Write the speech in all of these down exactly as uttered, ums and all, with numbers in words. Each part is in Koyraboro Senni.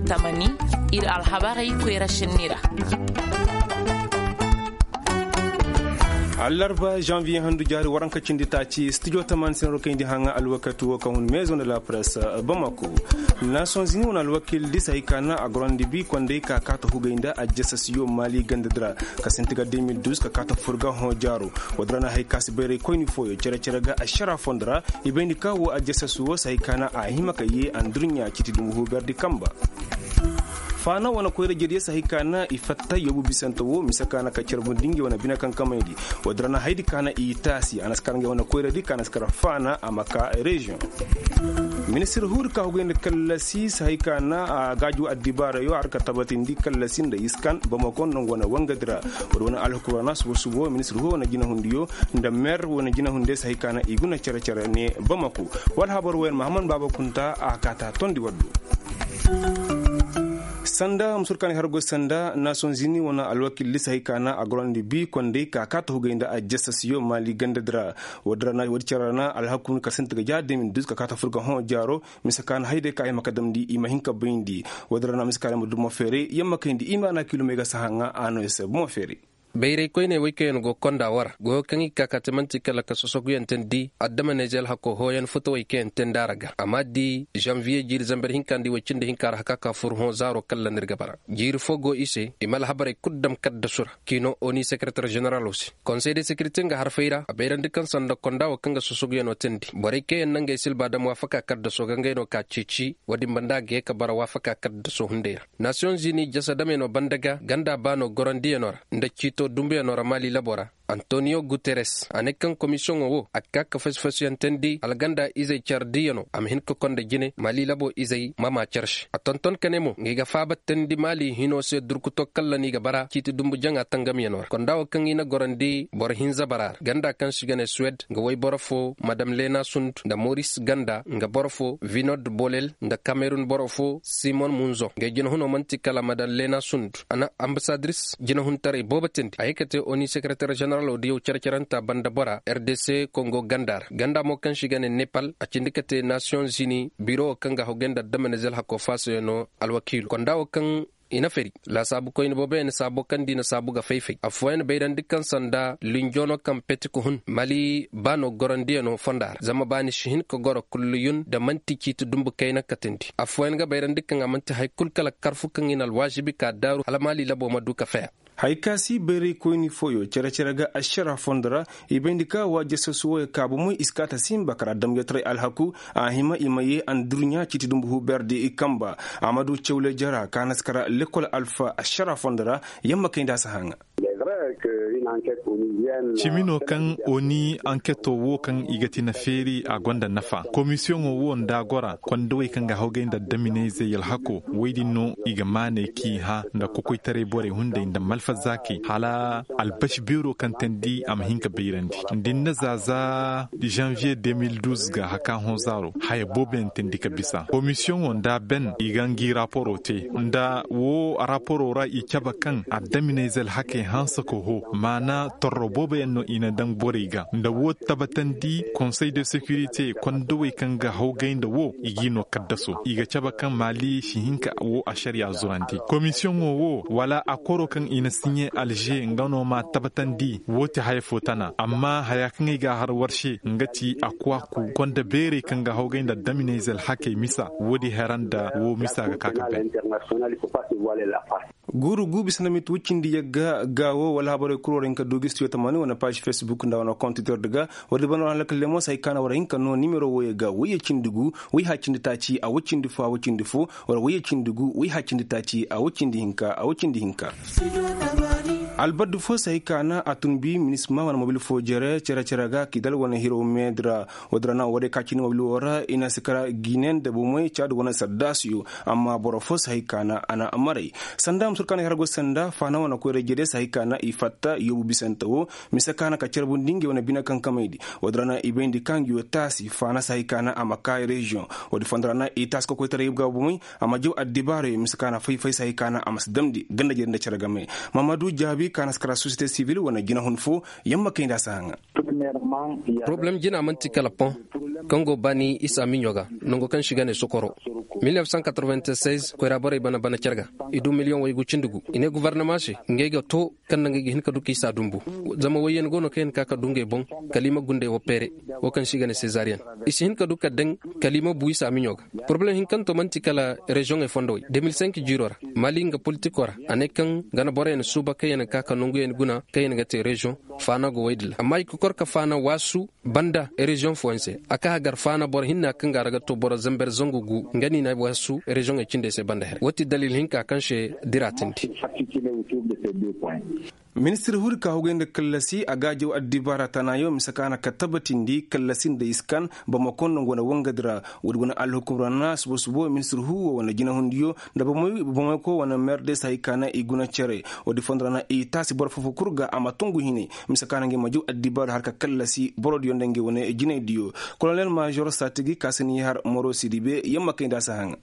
Tamani, ir alhabarey koyra sinni ra. Allarba janviye handu jaari waranka cindi taaci studio tamani sinaro kayndi haŋa alwakati wo kaŋ hun maison de la presse, bamako. Nations unis wane alwakil disa hay ka na a gorandi bi kondey ka kaata hugay nda ajjasasiyo mali ganda dira ka sinti ga deux mille douze ka kaata furga hõ jaaro. Wadira na hay ka si bayray koyni fooyo cere-cere ga ašara fondo ra. I bayndi ka wo ajjasasi wo si hay ka na a hima ka ye andurɲa citi dumbu huberdi kamba. Faana wane koyra jediyo si hay ka na i fatta yobu bisante wo mise ka na ka carbundi ngey wane bine kankamaydi. Wadira na haydi ka na i taasi a na si kar ngey wane koyradi ka na si kar faana a ma ka reziyoŋ. Ministir huudi ka hugay nda kallasi si hay ka na a gaaju addibaarayo har ka tabatindi kallasi nda iskan bamako nangu wane wangadi ra. Wala wane alhukurana subo-subo ministir huudi wane jinahundiyo nda mer wane jinahundiyo si hay ka na i guna cere-cere ne bamako. Wala habar wayan mahammad baaba kunta a kaata tondi waddu. Sanda musurkaani har goy sanda nations unis wane alwakil lisa hay ka na a gorandi bi kondey ka kaata hugay nda ajjasasiyo mali ganda dira. Wadi cere ra na alhakkun ka sinti ga ja deux mille douze ka kaata furga hõ jaaro. Mise ka na hayday ka ay ma ka damndi i ma hin ka bayndi. Wadi ra na mise ka ay ma dumo feeray yamma kayndi i ma na kilomey ga sahaŋa a no i se bumo feeray. Bayray koyney woy kaŋ yaŋ go konda war goyo kaŋ i ga ka ka te man'ti kala ka sosoguyaŋ teendi adama neezel hako hooyaŋ futawey kaŋ yaŋ teendi a ra ga a ma di zanviye jiiri zamber hinka nda i woy cindi hinka ra haka ka fur hõ zaaro kaŋ ra no ir ga bara. Jiiri fo go i se i ma alhabarey kulu dam kaddasu ra. Kiino oni sekereter ženeralo se konsey de sekirite nga harfey ra a bayrandi kaŋ sanda konda wo kaŋ ga sosoguyaŋo teendi borey kaŋ yaŋ na ngey silba dam waafaka kaddaso ga ngey no ka ceeci wo-din banda a ga ye ka bara waafaka kaddaso hunday ra. Nasiyoŋ zini jasa damyaŋo banda ga ganda baano gorandiyaŋo ra nda ciito dumbuyaŋo ra mali labo ra. Antoniyo guteres a ne kaŋ komisiyoŋo wo a ga ka ka fasi-fasiyaŋ teendi alganda izey care diyaŋo a ma hin ka konda jine mali labo izey ma maa care se a tonton ka ne mo nga i ga faaba teendi mali hino se durkuto kaŋ ra no i ga bara ciiti dumbu jaŋa tangamyaŋo ra konda wo kaŋ i na gorandi boro hinza bara ra ganda kaŋ se i ga ne suwed nga woy boro fo madam lena sund nda moris ganda nga boro fo vinod bolel nda kamerun boro fo simon munzo ngey jinahunoo man'ti kala madam lena sund a na ambasadiris jinahuntaray boobo teendi a ye ka te oni sekereter ženeralo diyaw care-carantaa banda bora r d c kongo ganda ra ganda mo kaŋ se i ga ne nepal a cindi ka te nasiyoŋ zini biro wo kaŋ ga hawgay nda adama nezel hakoo faasoyaŋo alwakiilo konda wo kaŋ i na fari laasaabu koyne booboyaŋ na saabo kaŋ nda i na saabu ga fay-fay affooyaŋ bayrandi kaŋ sanda linjoono kaŋ peti ka hun mali baano gorandiyaŋo fonda ra zama ba ni si hin ka goro kulluyun nda man'ti ciiti dumbu kayna katandi affooyaŋ ga bayrandi kaŋ a man'ti hari kulu kala karfu kaŋ i na alwaazibi ka daaru hala mali labo ma du ka faya. Hari ka si bayray koyni fooyo cere-cere ga ašara fondo ra i bayndi ka waajasasu wooyo ka bomey i si kaata sinba kara damjetaray alhaku a hima i ma ye andurɲa ciiti dumbu huuberdi i kamba. A ma du cawle jara ka na si kara lekol alfa ašara fondo ra. Yamma kay nda a si haŋa. Cimi no kaŋ oni anketo wo kaŋ i ga ti na feeri a gonda nafa komisiyoŋo wo nda a gora kondowey kaŋ ga hawgay nda addaminayzey alhako woy din no i ga maaney k'i hã nda kokoytaray borey hunday nda malfazaakey hala albaši beero kaŋ teendi a ma hin ka bayrandi nda i na zaaza zanviye deux mille douze ga haka hõ zaaro haya booboyaŋ teendi ka bisa komisiyoŋo nda ben i ga ngi raporo te nda wo raporo ra i cabe kaŋ addaminayze alhakey hanse ka ho maana torro booboyaŋ no i na daŋ borey ga nda wo tabatandi konsey de sekirite kondowey kaŋ ga hawgay nda wo i g'i no kaddaso i ga cabe kaŋ maali si hin ka wo ašariya zurandi komisiyoŋo wo wala akoro kaŋ i na siɲe alže nga no ma tabatandi wo ti haya fo tana amma haya kaŋ ay ga a har war se nga ti a kwaaku konda beerey kaŋ ga hawgay nda addaminayze alhakey misa wo-din hera nda wo misa ga ka ka bay. Guuru gu bisa nda miti woy cindi yagga gaawo wala habarey kul war hin ka du ga studio tamaani wane paaž fesbuk nda wane kont twitter di ga. War di banda war halakal lemo se hay ka na war hin ka noo nimero wooyo ga woy ya cindi gu woy ha cindi taaci a woy cindi fo a woy cindi fo. War woy ya cindi gu woy ha cindi taaci a woy cindi hinka a woy cindi hinka. Albaddu fo se hay ka na a tun bi minisma wane mobil fo jere cere-cere ga kidal wane hiro meedi ra. Woo din ra na woo day ka cindi mobil woo ra i na si kara ginen da bomey caadi wane sardaasiyo. Amma boro fo si hay ka na a na maray sanda musurkaanay har go sanda faana wane koyra jede si hay ka na i fatta yoobu bisante woo. Mise ka na ka carbundi ngey wane bine kankamaydi woo din ra na i bayndi ka ngi woo taasi faana si hay ka na a ma ka reziyoŋ. Woo din fondo ra na i taasi kokoytaray ga bomey a ma jaw addibaarayo mise ka na fay-fay si hay ka na a ma si damndi ganda jede nda cere game. Mahamadu jaabi ka na si kara sosiyete sibil wane jinahun fo. Yamma kay nda a si haŋa. Porobalem jina man'ti kala pon. Kaŋ go baani isa miɲo ga, nango kaŋ si ga ne sokoro. Mil nef san katreventisez koyra borey bana bana cer ga. I du miliyoŋ waygu cindi gu. I ne gobornama se, ngey ga to kaŋ na ngey ga hin ka du ka isa dumbu. Zama wayyan go no kaŋ i na ka ka du ngey boŋ, kala i ma gundey wo peere. Wo kaŋ se i ga ne sezariyen, i si hin ka du ka daŋ, kala i ma bu isa miɲo ga. Porobalem hinkanto man'ti kala reziyoŋey fondowey de mil senk jiiro ra, mali nga politiko ra, a ne kaŋ gana boroyaŋ suuba kaŋ yaŋ ga ka ka nanguyaŋ guna kaŋ yaŋ ga te reziyoŋ faana go woy din ra amma i ga kor ka faana waasu banda reziyoŋ fooyaŋ se. A ka hagar faana boro hinna kaŋ ga a ra ga to boro zamber zangu gu nga no i na waasu reziyoŋey cindey se banda here wo ti dalil hinka kaŋ se dira tindi. Ministir huu di ka hugay nda kallasi a gaajaw addibaara tanayo mise ka na ka tabatindi kallasi nda iskan bamako nda nga wane wangadi ra. Woodi wane alhukum ra na subo subo ministir huu wo wane jinahundiyo nda bamako wane meerdesa hay ka na i guna cere. Woodi fondo ra na i taasi boro foo foo kul ga a ma tungu hinay mise ka na ngey ma jaw addibaara har ka kallasi borodiyo nda ngey wane jinaydiyo. Kolonel maazor saatigi ka si n'i har moro sidibe yamma kay nda a si haŋa.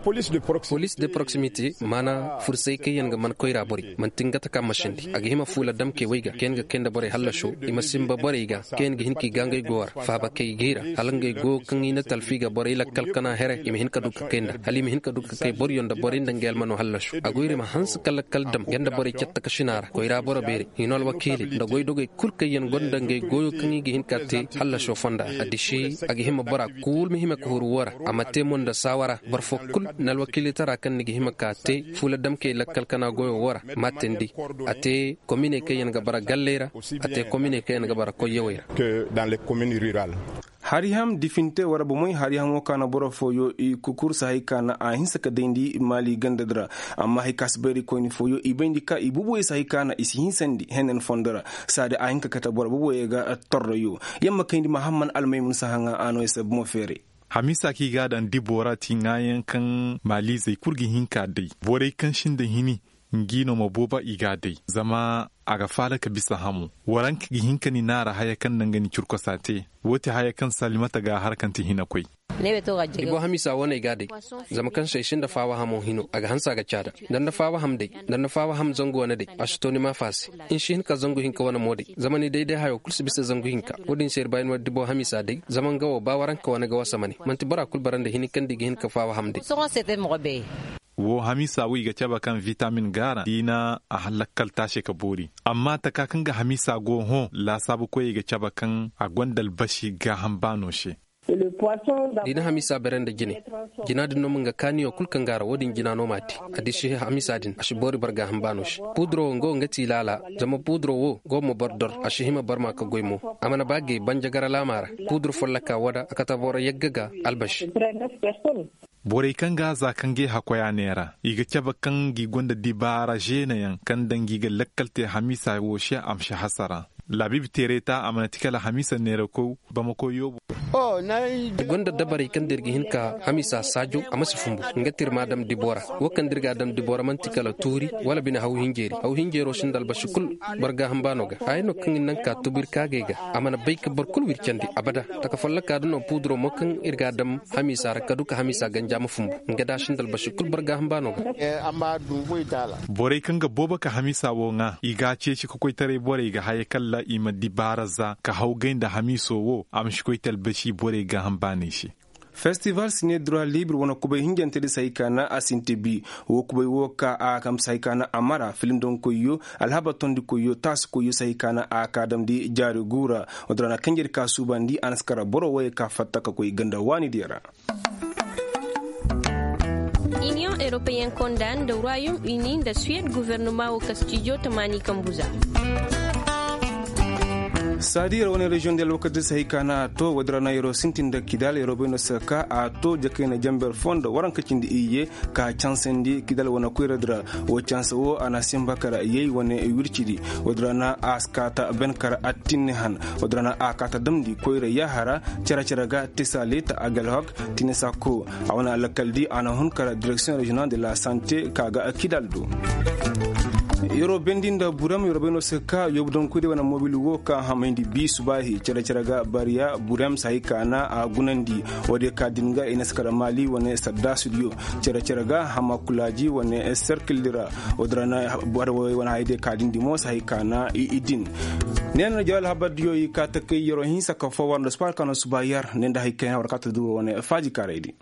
Police de proximité maana fursay kaŋ yaŋ ga man koyra borey man'ti nga taka masindi a ga hima fuula damkey wey ga kaŋ yaŋ ga kay nda borey hallasho. I ma sinba borey ga kaŋ yaŋ ga hin ka i gaangay go war faaba kay ga i ra hala ngey go kaŋ i na talfi ga borey lakkal kana here i ma hin ka du ka kay nda hala i ma hin ka du ka kay boryo nda borey nda ngey almano hallasho a go ir i ma hanse ka lakkal dam nga nda borey catta ka sina ra koyra boro beerey hino alwakiiley nda goydogey kul kaŋ yaŋ gonda ngey goyo kaŋ i ga hin ka te hallasho fonda a disi a ga hima bora kul ma hima ka huru wo ra. A ma te mo nda saawara boro foo kul na alwakiilitara kaŋ ni ga hima ka te fuula damkey lakkal kana goyo wo ra. Maatandi a te kominey kaŋ yaŋ ga bara galley ra a te kominey kaŋ yaŋ ga bara koyyawey ra. Hari ham difinte wara bomey hari hamo ka na boro fooyo i kukur sahay ka na a hinsa ka dayndi maali ganda di ra. Amma hay ka si bayri koyni fooyo i bayndi ka i bubuwey sahay ka na i si hinsandi hennen fondo ra. Saadi a hin ka kate boro bubuwey ga torroyo. Yamma kayndi mahamman almaymun sahaŋa a no ay se bomo feere. Hamiisa kaŋ i ga a daŋ dibo ra ti ŋaayaŋ kaŋ maaliizey kul ga hin ka day borey kaŋ sinda hini. Ngi no ma booba i ga a day zama a ga faala ka bisa hamo. Waranka ga hin ka ni naara haya kaŋ na nga ni curkosa te. Woo ti haya kaŋ salimata ga a har kaŋ ti hinakoy. Ibo hamiisa wo no ay ga a day. Zama kaŋ se ay sinda faawa hamo hino a ga hanse a ga caada. Da ni na faawa ham day da ni na faawa ham zangu wane day a si to ni maafa se. Ni si hin ka zangu hinka wane mo day zama ni day day hayo kul si bisa zangu hinka. Wo-din se ir ba ay no dibo hamiisa day zama nga wo ba waranka wane ga wasa mane man'ti bora kul bara nda hini kaŋ da i ga hin ka faawa ham day. Woo hamiisa wo i ga cabe kaŋ vitamin gaara da i na a lakkal taase ka boori. Amma taka kaŋ ga hamiisa go hõ laasaabukoyey ga cabe kaŋ a gonda albasi gaaham baano se. Da i na hamiisa bare nda jine jina din no ma nga kaaniyo kul kaŋ gaara wo-din jina no m'a te. A disi hamiisa din a si boori boro gaaham baano se. Puuduro wo nga wo nga ti laala. Zama puuduro wo go ma boro dor a si hima barma ka goy mo. A mana ba gay banjagara laama ra. Puudur folloka woo da a kate boro yagga ga albasi. Borey kaŋ ga a za ka ngey hakkoy a neera i ga cabe kaŋ ngi gonda dibaara zeenayaŋ kaŋ nda ngi ga lakkal te hamiisa wo se a ma si hasara. Laabiibi teerey ta a mana ti kala hamiisa neerakoy bamako yoobo. I gonda dabarey kaŋ nda ir ga hin ka hamiisa saajo a ma si fumbu. Nga te ir m'a dam dibo ra. Wo kaŋ nda ir g'a dam dibo ra man'ti kala tuuri wala bine haw hinjeeri haw hinjeero sinda albasi kul. Boro gaaham baano ga haya no kaŋ ir naŋ ka tubu ir kaagey ga. A mana bay ka boro kul w'ir candi abada. Taka folloka din no puuduro mo kaŋ ir g'a dam hamiisa ra ka du ka hamiisa ganja ma fumbu. Nga da a sinda albasi kul boro gaaham baano ga. Borey kaŋ ga boobo ka hamiisa wo ŋaa i g'a ceeci ka koytaray borey ga haya kalla i ma dibaara za ka hawgay nda hamiiso wo a ma si koy talbasi borey gaaham baaney se. Festival sine dura libre wane kubay hinjante di se hay ka na a sinti bi. Wo kubay wo ka a kamsa hay ka na a mara filim donkoyyo alhaba tondikoyyo taasikoyyo se hay ka na a ka damndi jaari guura. Wodin ra na kanjey di ka suubandi a na si kara boro woyey ka fatta ka koy ganda waanidiyo ra. Iniyoŋ europeyen konda nda royaume uni nda suwed guvernoma wo ka stijo tamaani kambu za. Saadi yer wane reziyoŋ de alwakati se hay ka na a to woodin ra na yeroo sintin nda kidal yeroo bay no se ka a to jakayna jamber foo nda waranka cindi iyye. Ka cansandi kidal wane koyra di ra. Wo cansa wo a na simba kara yay wane wircidi. Woodin ra na a si kaata ben kara attinni han. Woodin ra na a kaata damndi koyra yaaha ra. Cere cere ga tisa leta agalhok tinisa ko. A wane alakal di a na hun kara direksiyoŋ reziyonal de la sante ka ga kidal do. Yeroo bendi nda burem yeroo bendi no se ka yoobu donku de wane mobil wo ka hamayndi bi subaahi cere cere ga bariya burem si hay ka na a gunandi. Wo de ka din ga i na si kar maali wane saddaasudiyo cere cere ga hama kulaaji wane serkildi ra. Wo di ra na boro wo wane hay de ka din di mo si hay ka na i din. Ne na jaw alhabardiyo i ka takay yeroo hinsa ka fo war nda subaar ka no subaa yar ne nda hay kayna war ka ta du wane faaji kaaraydi.